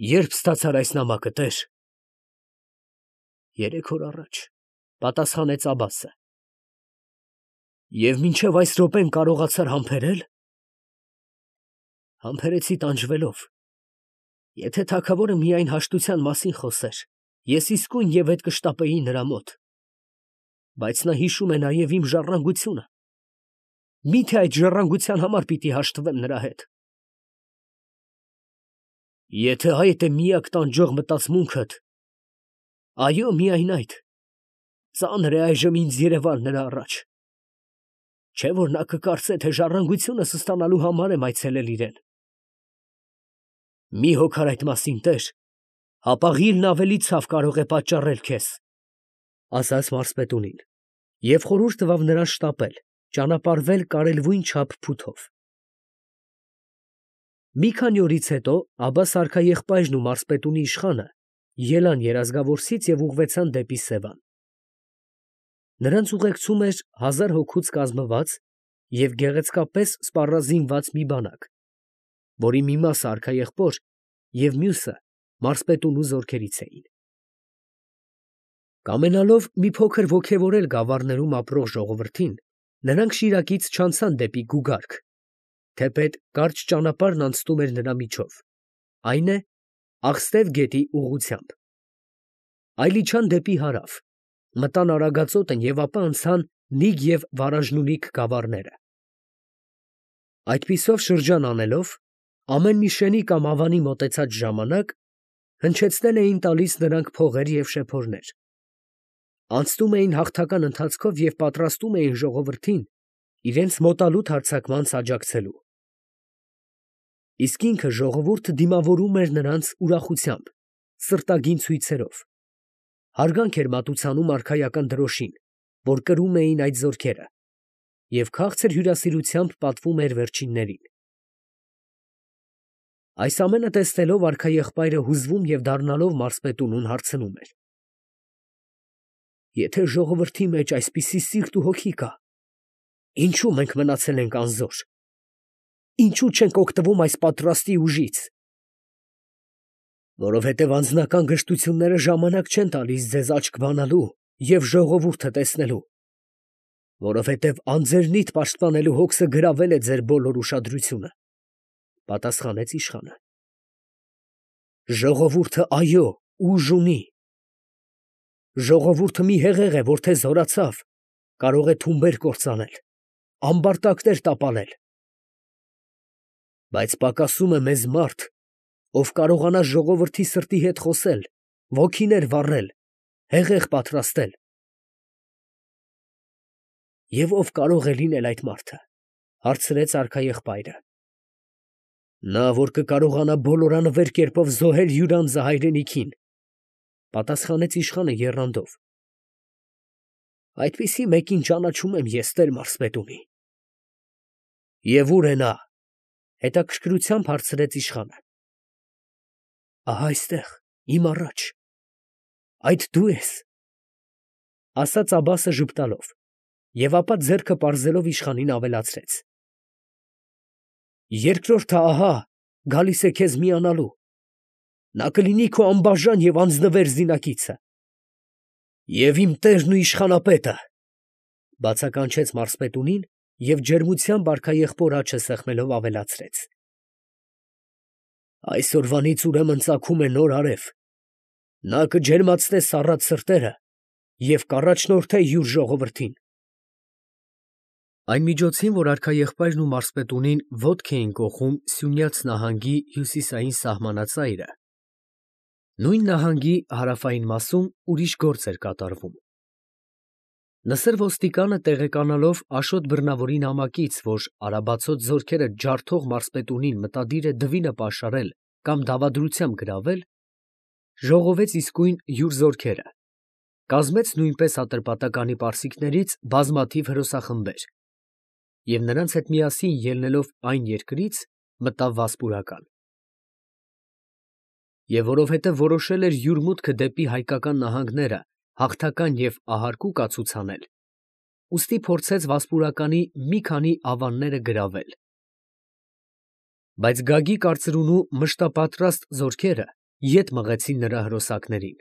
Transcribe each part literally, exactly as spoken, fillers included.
Երբ ստացար այս նամակը, տեր։ Երեք օր առաջ, պատասխանեց Աբբասը։ Եվ մինչև այս րոպեն կարողացար համբերել։ Համբերեցի տանջվելով։ Եթե թագավորը միայն հաշտության մասին խոսեր, ես իսկույն և ետ կշտապեի նրա մոտ, բայց նա հիշում է նաև իմ ժառանգությունը, մի՞թե այդ ժառանգության համար պիտի հաշտվեմ նրա հետ։ Եթե այդ է միակ տանջող մտածմունքդ, այո, միայն այդ, ծանր է այժմ ինձ երևալ նրա առաջ, չէ՞ որ նա կկարծե, թե ժառանգությունս ստանալու համար եմ այցելել իրան։ Մի հոգար այդ մասին, տեր, հապաղիլն ավելի ցավ կարող է պատճառել քեզ, ֊ ասաց մարզպետունին, և խորհուրդ տվավ նրան շտապել, ճանապարհվել կարելույն չափ փութով։ Մի քանի օրից հետո Աբբաս արքաեղբայրն ու մարզպետունի իշխանը ելան երազգավորսից և ուղղվեցան դեպի Սևան։ Նրանց ուղեկցում էր հազար հոգուց կազմված և գեղեցկապես սպառազինված մի բանակ, որի մի մասը արքաեղբոր և մյուսը մարզպետունու զորքերից էին։ Կամենալով մի փոքր ոգևորել գավառներում ապրող ժողովրդին, նրանք Շիրակից չանցան դեպի Գուգարք, թեպետ կարճ ճանապարհն անցնում էր նրա միջով, այն է, Աղստև գետի ուղղությամբ, այլ իջան դեպի հարավ, մտան Արագածոտն և ապա անցան Նիգ և Վարաժնունիք գավառները։ Այդպիսով շրջան անելով, ամեն մի շենի կամ ավանի մոտեցած ժամանակ հնչեցնել էին տալիս նրանք փողեր և շեփորներ, անցնում էին հաղթական ընթացքով և պատրաստում էին ժողովրդին իրենց մոտալուտ հարձակմանը աջակցելու։ Իսկ ինքը ժողովուրդը դիմավորում էր նրանց ուրախությամբ, սրտագին ցույցերով, հարգանք էր մատուցանում արքայական դրոշին, որ կրում էին այդ զորքերը, և քաղցր հյուրասիրությամբ պատվում էր վերջիններին։ Այս ամենը տեսնելով արքաեղբայրը հուզվում և դառնալով մարզպետունուն հարցնում էր. Եթե ժողովրդի մեջ այսպիսի սիրտ ու հոգի կա, ինչո՞ւ մենք մնացել ենք անզոր, ինչո՞ւ չենք օգտվում այս պատրաստի ուժից։ Որովհետև անձնական գժտությունները ժամանակ չեն տալիս ձեզ աչք բանալու և ժողովուրդը տեսնելու, որովհետև անձերնիդ պաշտպանելու հոգսը գրավել է ձեր բոլոր ուշադրությունը, ֊ պատասխանեց իշխանը։ Ժողովուրդը, այո, ուժ ունի։ Ժողովուրդը մի հեղեղ է, որ թե զորացավ, կարող է թումբեր կործանել, ամբարտակներ տապալել, բայց պակասում է մեզ մարդ, ով կարողանա ժողովրդի սրտի հետ խոսել, ոգիներ վառել, հեղեղ պատրաստել։ Եվ ո՞վ կարող է լինել այդ մարդը, ֊ հարցրեց արքաեղբայրը։ Նա, որ կկարողանա բոլորանվեր կերպով զոհել յուր անձը հայրենիքին, ֊ պատասխանեց իշխանը եռանդով։ Այդպիսի մեկին ճանաչում եմ ես, տեր մարզպետունի։ Եվ ո՞ւր է նա, ֊ հետաքրքրությամբ հարցրեց իշխանը։ Ահա այստեղ, իմ առաջ, այդ դու ես, ֊ ասաց Աբբասը ժպտալով, և ապա ձեռքը պարզելով իշխանին ավելացրեց. Երկրորդը ահա գալիս է քեզ միանալու, նա կլինի քո անբաժան և անձնվեր զինակիցը։ Եվ իմ տերն ու իշխանապետը, ֊ բացականչեց մարզպետունին և ջերմությամբ արքաեղբոր աչքը սեղմելով ավելացրեց. Այսօրվանից ուրեմն ծագում է նոր արև, նա կջերմացնե սառած սրտերը և կառաջնորդե յուր ժողովրդին։ Այն միջոցին, որ արքաեղբայրն ու մարզպետունին ոտք էին կոխում Սյունյաց նահանգի հյուսիսային սահմանածայրը, նույն նահանգի հարավային մասում ուրիշ գործ էր կատարվում։ Նսր ոստիկանը տեղեկանալով Աշոտ Բռնավորի նամակից, որ արաբացոտ զորքերը ջարդող մարզպետունին մտադիր է դվինը պաշարել կամ դավադրությամբ գրավել, ժողովեց իսկույն յուր զորքերը, կազմեց նույնպես Ատրպատականի պարսիկներից բազմաթիվ հրոսախմբեր և նրանց հետ միասին ելնելով այն երկրից, մտավ Վասպուրական։ Եվ որովհետև որոշել էր յուր մուտքը դեպի հայկական նահանգները հաղթական և ահարկու կացուց անել, ուստի փորձեց Վասպուրականի մի քանի ավանները գրավել։ Բայց Գագի կարծրունու մշտապատրաստ զորքերը ետ մղեցին նրա հրոսակներին։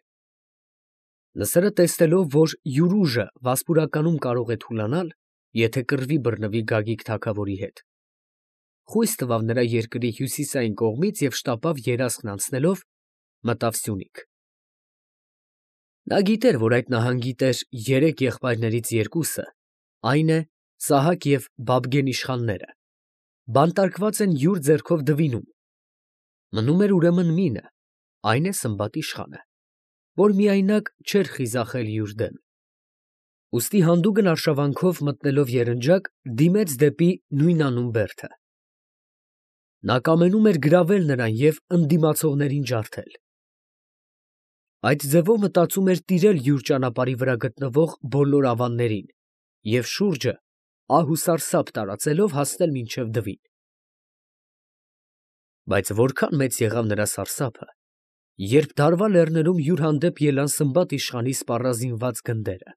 Նսրը տեսնելով, որ յուր ուժը վասպուրականում կարող է թուլանալ, եթե կռվի բռնվի Գագիկ թագավորի հետ, խույս տվավ նրա երկրի հյուսիսային կողմից և շտապավ երասխն անցնելով մտավ Սյունիք։ Նա գիտեր, որ այդ նահանգի տեր երեք եղբայրներից երկուսը, այն է Սահակ և Բաբգեն իշխանները, բանտարկված են յուր ձեռքով դվինում, մնում էր ուրեմն մինը, այն է Սմբատ իշխանը, որ միայնակ չէր խիզախել յուր դեմ։ Ուստի հանդուգն արշավանքով մտնելով երնջակ, դիմեց դեպի նույնանուն բերդը։ Նա կամենում էր գրավել նրան և ընդդիմացողներին ջարդել։ Այդ ձևով մտածում էր տիրել յուր ճանապարհի վրա գտնվող բոլոր ավաններին և շուրջը ահ ու սարսափ տարածելով հասնել մինչև դվին։ Բայց որքան մեծ եղավ նրա սարսափը, երբ Դարվա լեռներում յուր հանդեպ ելան Սմբատ իշխանի սպառազինված գնդերը։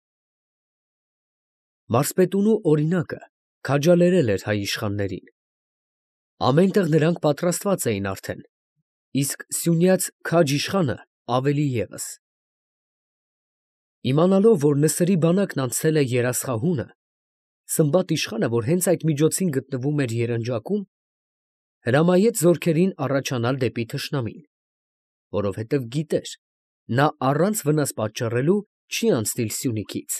Մարսպետունու օրինակը քաջալերել էր հայ իշխաններին։ Ամեն տեղ նրանք պատրաստված էին արդեն, իսկ սյունյաց քաջ իշխանը ավելի ևս։ Իմանալով, որ Նսրի բանակն անցել է Երասխահունը, Սմբատ իշխանը, որ հենց այդ միջոցին գտնվում էր երնջակում, հրամայեց զորքերին առաջանալ դեպի թշնամին, որովհետև գիտեր, նա առանց վնաս պատճառելու չի անցնիլ Սյունիքից։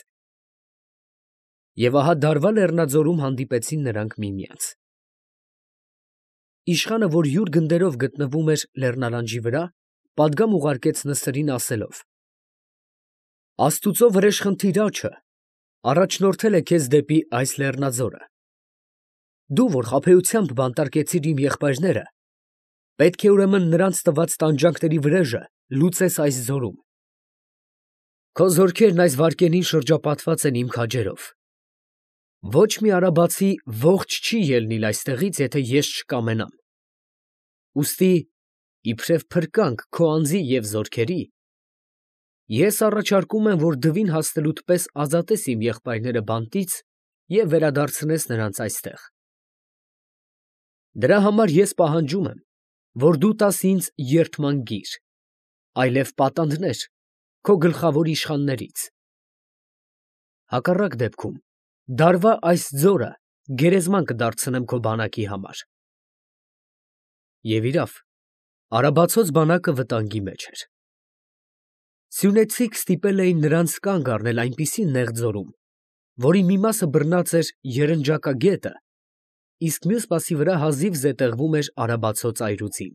Եվ ահա Դարվա լեռնաձորում հանդիպեցին նրանք միմյանց։ Իշխանը, որ յուր գնդերով գտնվում էր լեռնալանջի վրա, պատգամ ուղարկեց Նսրին ասելով. «Աստուծո վրեժխնդիր աջը առաջնորդել է քեզ դեպի այս լեռնաձորը. դու, որ խաբեությամբ բանտարկեցիր իմ եղբայրները, պետք է ուրեմն նրանց տված տանջանքների վրեժը լուծես այս ձորում։ Քո զորքերն այս վայրկյանին շրջապատված են իմ քաջերով. ոչ մի արաբացի ողջ չի ելնիլ այստեղից, եթե ես չկամենամ։ Ուստի, իբրև փրկանք քո անձի և զորքերի, ես առաջարկում եմ, որ դվին հասնելուդ պես ազատես իմ եղբայրները բանտից և վերադարձնես նրանց այստեղ։ Դրա համար ես պահանջում եմ, որ դու տաս ինձ երդման գիր, այլև պատանդներ քո գլխավոր իշխաններից։ Հակառակ դեպքում Դարվա այս ձորը գերեզման կդարձնեմ քո բանակի համար»։ Եվ իրավ, արաբացոց բանակը վտանգի մեջ էր։ Սյունեցիք ստիպել էին նրանց կանգ առնել այնպիսի նեղ ձորում, որի մի մասը բռնած էր Երնջակագետը, իսկ մյուս մասի վրա հազիվ զետեղվում էր արաբացու ծայրուձին։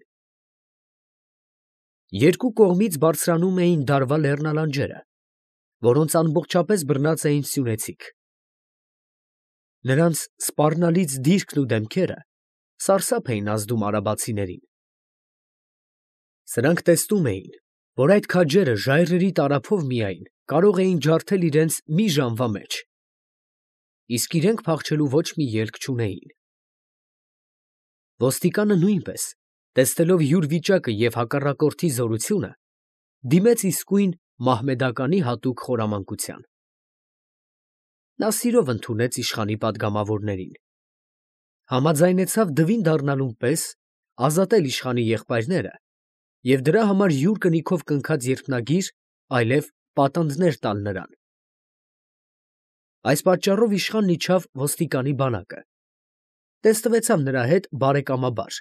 Երկու կողմից բարձրանում էին Դարվա լեռնալանջերը, որոնց ամբողջապես բռնած էին սյունեցիք։ Նրանց սպառնալից դիրքն ու դեմքերը սարսափ էին ազդում արաբացիներին։ Սրանք տեսնում էին, որ այդ քաջերը ժայռերի տարափով միայն կարող էին ջարդել իրենց մի ժամվա մեջ, իսկ իրենք փախչելու ոչ մի ելք չունեին։ Ոստիկանը նույնպես, տեսնելով յուր վիճակը և հակառակորդի զորությունը, դիմեց իսկույն մահմեդականի հատուկ խորամանկության։ Նա սիրով ընդունեց իշխանի պատգամավորներին, համաձայնեցավ դվին դառնալուն պես ազատել իշխանի եղբայրները և դրա համար յուր կնիքով կնքած երկնագիր, այլև պատանդներ տալ նրան։ Այս պատճառով իշխանն իջավ ոստիկանի բանակը, տեսնվեցավ նրա հետ բարեկամաբար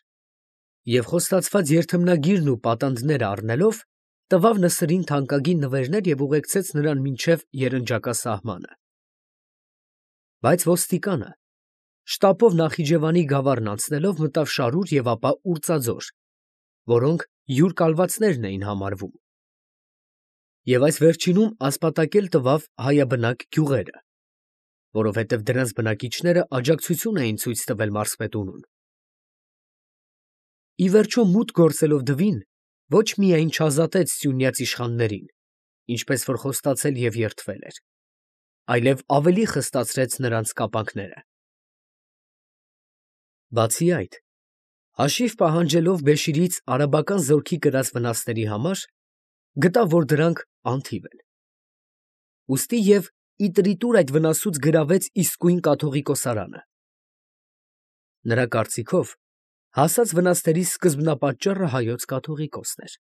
և խոստացված երդմնագիրն ու պատանդները առնելով, տվավ Նսրին թանկագին նվերներ և ուղեկցեց նրան մինչև երնջակա սահմանը։ Բայց ոստիկանը շտապով Նախիջևանի գավառն անցնելով մտավ Շարուր և ապա Ուրྩաձոր, որոնք յուր կալվածներն էին համարվում, և այս վերջինում ասպատակել տվավ հայաբնակ գյուղերը, որովհետև դրանց բնակիչները աջակցություն էին ցույց տվել մարզպետունուն։ Ի վերջո, մուտք գործելով դվին, ոչ միայն չազատեց սյունյաց իշխաններին, ինչպես որ խոստացել և երդվել էր, այլև ավելի խստացրեց նրանց կապանքները։ Բացի այդ, հաշիվ պահանջելով Բեշիրից արաբական զորքի կրած վնասների համար, գտավ, որ դրանք անթիվ են։ Ուստի և ի տրիտուր այդ վնասուց գրավեց իսկույն կաթողիկոսարանը։ Նրա կարծիքով, հասած վնասների սկզբնապատճառը հայոց կաթողիկոսն էր։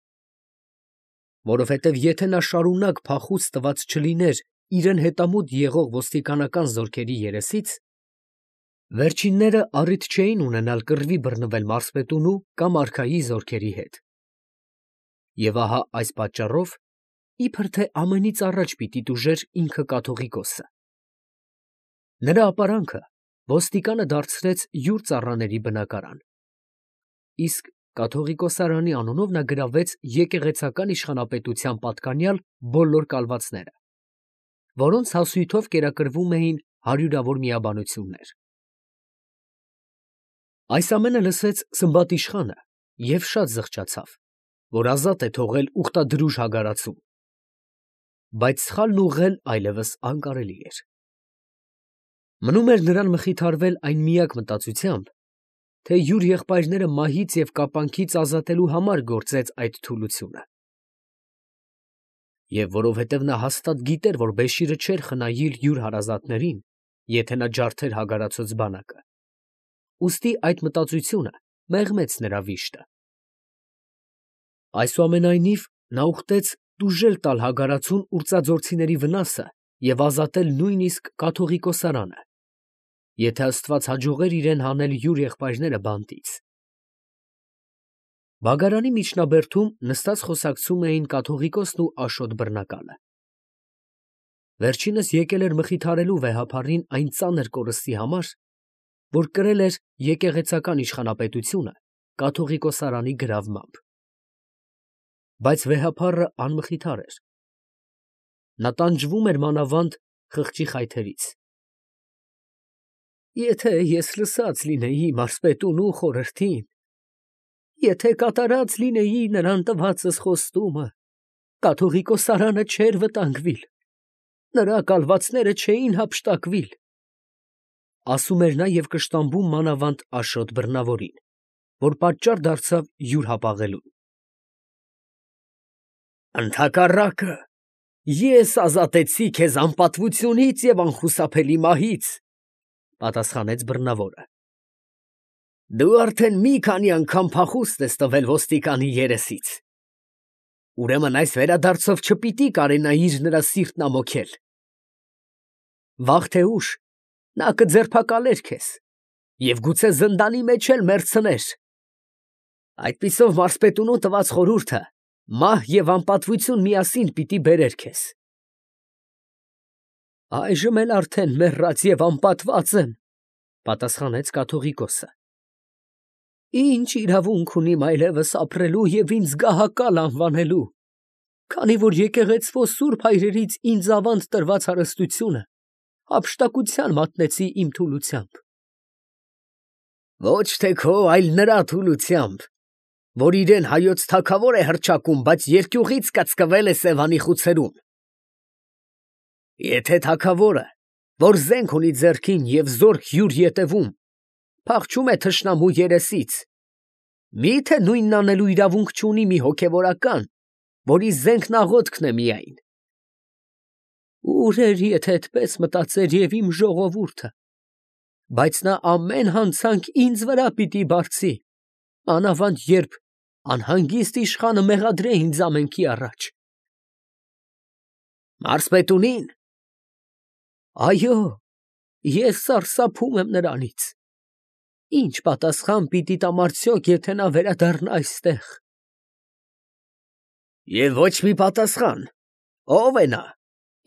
որովհետև եթե նա շարունակ փախուց տված չլիներ իրեն հետամուտ եղող ոստիկանական զորքերի երեսից, վերջինները առիթ չէին ունենալ կռվի բռնվել մարզպետունու կամ արքայի զորքերի հետ։ Եվ ահա այս պատճառով, իբր թե ամենից առաջ պիտի տուժեր ինքը կաթողիկոսը։ Նրա ապարանքը ոստիկանը դարձրեց յուր ծառաների բնակարան, իսկ կաթողիկոսարանի անունով նա գրավեց եկեղեցական իշխանապետության պատկանյալ բոլոր կալվածները, որոնց հասույթով կերակրվում էին հարյուրավոր միաբանություններ։ Այս ամենը լսեց Սմբատիշխանը և շատ զղջացավ, որ ազատ է թողել ուխտադրուժ հագարացում, բայց սխալն ուղղել այլևս անկարելի էր։ Մնում էր նրան մխիթարվել այն միակ մտածությամբ, թե յուր եղբայրները մահից և կապանքից ազատելու համար գործեց այդ թուլությունը։ Եվ որովհետև նա հաստատ գիտեր, որ Բեշիրը չէր խնայիր յուր հարազատներին, եթե նա ջարդեր հագարացած բանակը, ուստի այդ մտածությունը մեղմեց նրա վիշտը։ Այսուամենայնիվ նա ուխտեց տուժել տալ հագարացուն ուրծաձորցիների վնասը և ազատել նույնիսկ կաթողիկոսարանը, եթե աստված հաջողեր իրեն հանել յուր եղբայրները բանտից։ Բագարանի միջնաբերդում նստած խոսակցում էին կաթողիկոսն ու Աշոտ բռնակալը։ Վերջինս եկել էր մխիթարելու վեհափառին այն ծանր կորստի համար, որ կրել էր եկեղեցական իշխանապետությունը կաթողիկոսարանի գրավմամբ։ Բայց վեհափառը անմխիթար էր։ Նա տանջվում էր մանավանդ խղճի խայթերից։ Եթե ես լսած լինեի մարզպետունու խորհրդին, եթե կատարած լինեի նրան տվածս խոստումը, կաթողիկոսարանը չէր վտանգվիլ, նրա կալվածները չէին հափշտակվիլ, ասում էր նա և կշտամբում մանավանդ Աշոտ բռնավորին, որ պատճառ դարձավ յուր հապաղելուն։ Ընդհակառակը, ես ազատեցի քեզ անպատվությունից և անխուսափելի մահից, պատասխանեց բռնավորը։ Դու արդեն մի քանի անգամ փախուստ ես տվել ոստիկանի երեսից, ուրեմն այս վերադարձով չպիտի կարենայիր նրա սիրտն ամոքել։ Վաղ թե ուշ նա կձերբակալեր քեզ և գուցե զնդանի մեջ էլ մեռցներ։ Այդպիսով մարզպետունու տված խորհուրդը մահ և անպատվություն միասին պիտի բերեր քեզ։ Այժմ էլ արդեն մեռած և անպատված եմ, պատասխանեց կաթողիկոսը։ Ինչ իրավունք ունիմ այլևս ապրելու և ինձ գահակալ անվանելու, քանի որ եկեղեցվո սուրբ հայրերից ինձ ավանդ տրված հարստությունը հափշտակության մատնեցի իմ թուլությամբ։ Ոչ թե քո, այլ նրա թուլությամբ, որ իրեն հայոց թագավոր է հռչակում, բայց երկյուղից կծկվել է Սևանի խուցերում։ Եթե թագավորը, որ զենք ունի ձեռքին և զորք յուր ետևում, փախչում է թշնամու երեսից, մի՞թե նույնն անելու իրավունք չունի մի հոգևորական, որի զենքն աղոթքն է միայն։ Ուր էր, եթե այդպես մտածեր և իմ ժողովուրդը, բայց նա ամեն հանցանք ինձ վրա պիտի բարձի, մանավանդ երբ անհանգիստ իշխանը մեղադրե ինձ ամենքի առաջ։ Մարզպետունի՞ն։ Այո, ես սարսափում եմ նրանից։ Ինչ պատասխան պիտի տամ արդյոք, եթե նա վերադառնա այստեղ։ Եվ ոչ մի պատասխան։ Ո՞վ է նա,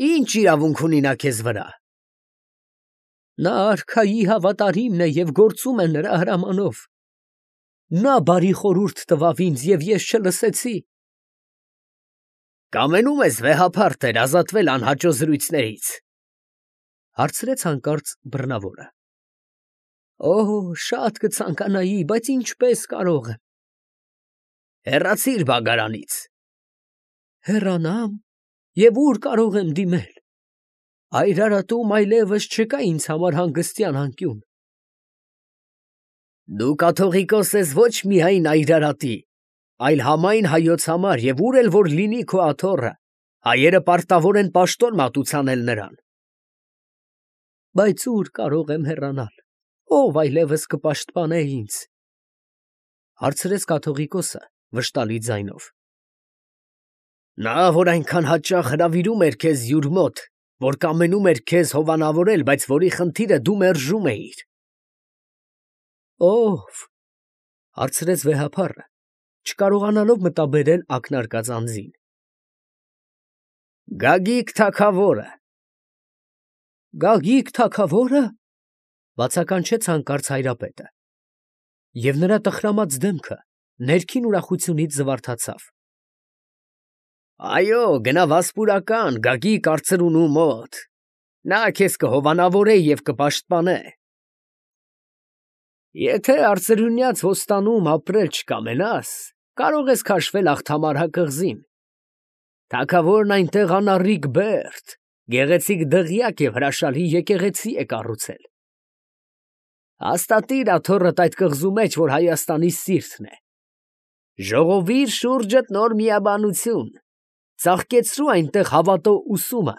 ինչ իրավունք ունի նա քեզ վրա։ Նա արքայի հավատարիմն է և գործում է նրա հրամանով։ Նա բարի խորհուրդ տվավ ինձ, և ես չլսեցի։ Կամենում ես վեհափառ տեր ազատվել անհաճո զրույցներից, հարցրեց հանկարծ բռնավորը։ Օ, շատ կցանկանայի, բայց ինչպես կարող եմ։ Հեռացիր բագարանից։ Հեռանամ, և ուր կարող եմ դիմել։ Այր արատում այլևս չկա ինձ համար հանգստյան անկյուն։ Դու կաթողիկոս ես ոչ միայն Այր արատի, այլ համայն հայոց համար, և ուր էլ որ լինի քո աթոռը, հայերը պարտավոր են պաշտոն մատուցանել նրան։ Բայց ուր կարող եմ հեռանալ, ով այլևս կպաշտպանե ինձ, հարցրեց կաթողիկոսը վշտալի ձայնով։ Նա, որ այնքան հաճախ հրավիրում էր քեզ յուր մոտ, որ կամենում էր քեզ հովանավորել, բայց որի խնդիրը դու մերժում էիր։ Ո՞վ, հարցրեց վեհափառը, չկարողանալով մտաբերել ակնարկած անձին։ Գագիկ թագավորը։ Գագիկ թագավորը, բացականչեց հանկարծ հայրապետը, և նրա տխրամած դեմքը ներքին ուրախությունից զվարթացավ։ Այո, գնա վասպուրական, Գագիկ արծրունու մոտ, նա քեզ կհովանավորե և կպաշտպանե։ Եթե արծրունյաց ոստանում ապրել չկամենաս, կարող ես քաշվել Աղթամարհա կղզին։ Թագավորն այնտեղ անառիկ բերդ, գեղեցիկ դղյակ և հրաշալի եկեղեցի է կառուցել։ Հաստատիր աթոռդ այդ կղզու մեջ, որ Հայաստանի սիրտն է։ Ժողովիր շուրջդ նոր միաբանություն, ծաղկեցրու այնտեղ հավատո ուսումը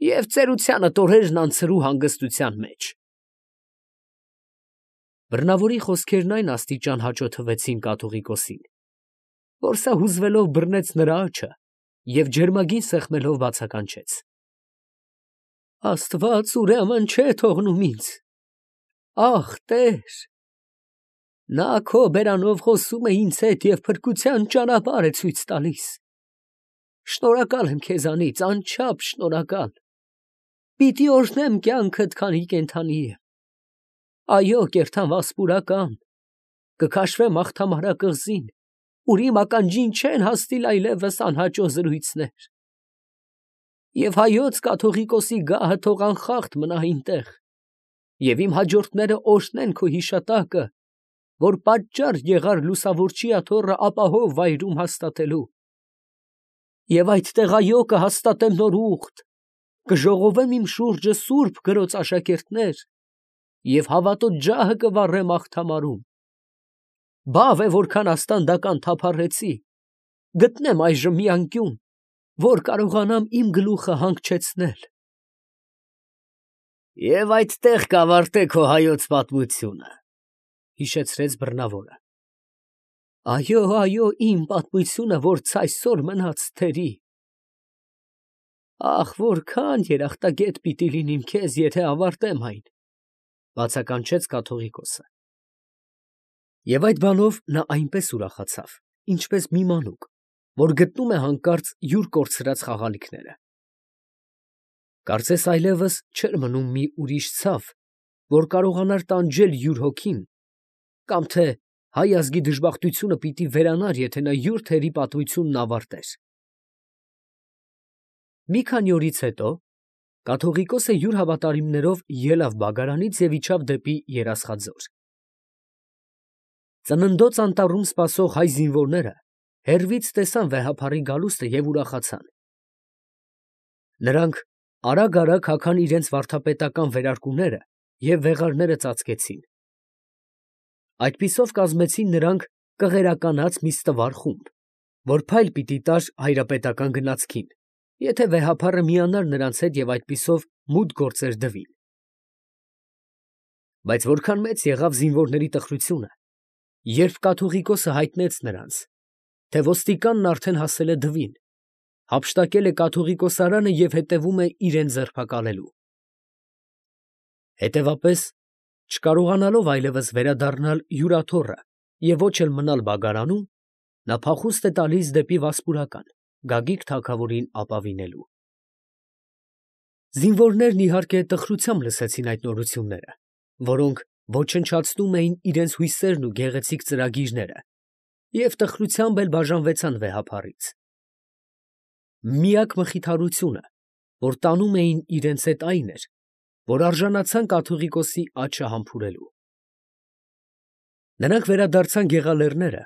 և ծերությանդ օրերն անցրու հանգստության մեջ։ Բռնավորի խոսքերն այն աստիճան հաճոթվեցին կաթողիկոսին, որ սա հուզվելով բռնեց նրա աջը և ջերմագին սեղմելով բացականչեց. Աստված ուրեմն չէ թողնում ինձ, ախ, Տեր, նա քո բերանով խոսում է ինձ հետ և փրկության ճանապարհ է ցույց տալիս։ Շնորհակալ եմ քեզանից, անչափ շնորհակալ։ Պիտի օրհնեմ կյանքդ, քանի կենդանի եմ։ Այո, կերթամ վասպուրական, կքաշվեմ Աղթամարհա կղզին, ուր իմ ականջին չեն հասնիլ այլևս անհաճո զրույցներ։ Եվ հայոց կաթողիկոսի գահը թող անխախտ մնա այնտեղ, և իմ հաջորդները օրհնեն քո հիշատակը, որ պատճառ եղար լուսավորչի աթոռը ապահով վայրում հաստատելու։ Եվ այդտեղ, այո, կհաստատեմ նոր ուխտ, կժողովեմ իմ շուրջը սուրբ գրոց աշակերտներ և հավատո ջահը կվառեմ Աղթամարում։ Բավ է, որքան աստանդական թափառեցի, գտնեմ այժմ մի անկյուն, որ կարողանամ իմ գլուխը հանգչեցնել։ Եվ այդտեղ կավարտե քո հայոց պատմությունը, հիշեցրեց բռնավորը։ Այո, այո, իմ պատմությունը, որ ցայսօր մնաց թերի։ Ախ, որքան երախտագետ պիտի լինիմ քեզ, եթե ավարտեմ այն, բացականչեց կաթողիկոսը։ Եվ այդ բանով նա այնպես ուրախացավ, ինչպես մի մանուկ, որ գտնում է հանկարծ յուր կորցրած խաղալիքները։ Կարծես այլևս չէր մնում մի ուրիշ ցավ, որ կարողանար տանջել յուր հոգին, կամ թե հայ ազգի դժբախտությունը պիտի վերանար, եթե նա յուր թերի պատմությունն ավարտեր։ Մի քանի օրից հետո կաթողիկոսը յուր հավատարիմներով ելավ Բագարանից և իջավ դեպի Երասխաձոր։ Ծննդոց անտառում սպասող հայ զինվորները հեռվից տեսան վեհափառի գալուստը և ուրախացան։ Նրանք արագ֊արագ հագան իրենց վարդապետական վերարկուները և վեղարները ծածկեցին։ Այդպիսով կազմեցին նրանք կղերականաց մի ստվար խումբ, որ փայլ պիտի տար հայրապետական գնացքին, եթե վեհափառը միանար նրանց հետ և այդպիսով մութ գործեր դվին։ Բայց որքան մեծ եղավ զինվորների տխրությունը, երբ կաթողիկոսը հայտնեց նրանց, թե ոստիկանն արդեն հասել է դվին, հափշտակել է կաթողիկոսարանը և հետևում է իրան ձերբակալելու։ Հետևապես, չկարողանալով այլևս վերադառնալ յուր աթոռը և ոչ էլ մնալ Բագարանում, նա փախուստ է տալիս դեպի Վասպուրական, Գագիկ թագավորին ապավինելու։ Զինվորներն, իհարկե, տխրությամբ լսեցին այդ նորությունները, որոնք ոչնչացնում էին իրենց հույսերն ու գեղեցիկ ծրագիրները, և տխրությամբ էլ բաժանվեցան վեհափառից։ Միակ մխիթարությունը, որ տանում էին իրենց հետ, այն էր, որ արժանացան կաթողիկոսի աջը համբուրելու։ Նրանք վերադարձան Գեղալեռները,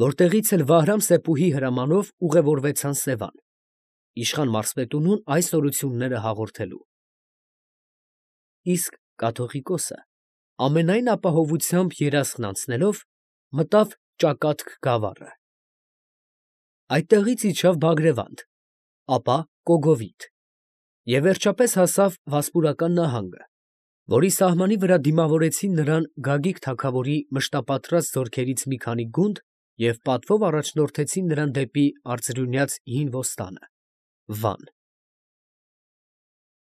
որտեղից էլ Վահրամ-Սեփուհի հրամանով ուղևորվեցան Սևան, իշխան մարզպետունուն այս նորությունները հաղորդելու։ Իսկ կաթողիկոսը ամենայն ապահովությամբ Երասխն անցնելով մտավ Ճակատք գավառը։ Այդտեղից իջավ Բագրևանդ, ապա Կոգովիդ և վերջապես հասավ Վասպուրական նահանգը, որի սահմանի վրա դիմավորեցին նրան Գագիկ թագավորի մշտապատրաստ զորքերից մի քանի գունդ և պատվով առաջնորդեցին նրան դեպի արծրունյաց հին ոստանը, Վան։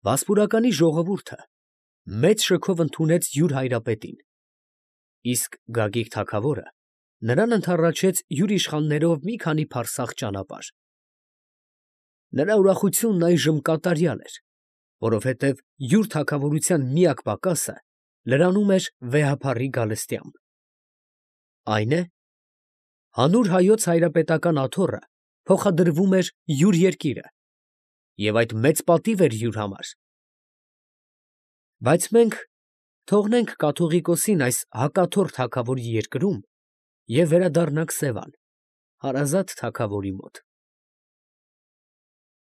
Վասպուրականի ժողովուրդը մեծ շքով ընդունեց յուր հայրապետին, իսկ Գագիկ թագավորը նրան ընդառաջեց յուր իշխաններով մի քանի փարսաղ ճանապարհ։ Նրա ուրախությունն այժմ կատարյալ էր, որովհետև յուր թագավորության միակ պակասը լրանում էր վեհափառի գալստյամբ, այն է, հանուր հայոց հայրապետական աթոռը փոխադրվում էր յուր երկիրը, և այդ մեծ պատիվ էր յուր համար։ Բայց մենք թողնենք կաթողիկոսին այս հակաթոռ թագավորի երկրում և վերադառնանք Սևան, հարազատ թագավորի մոտ։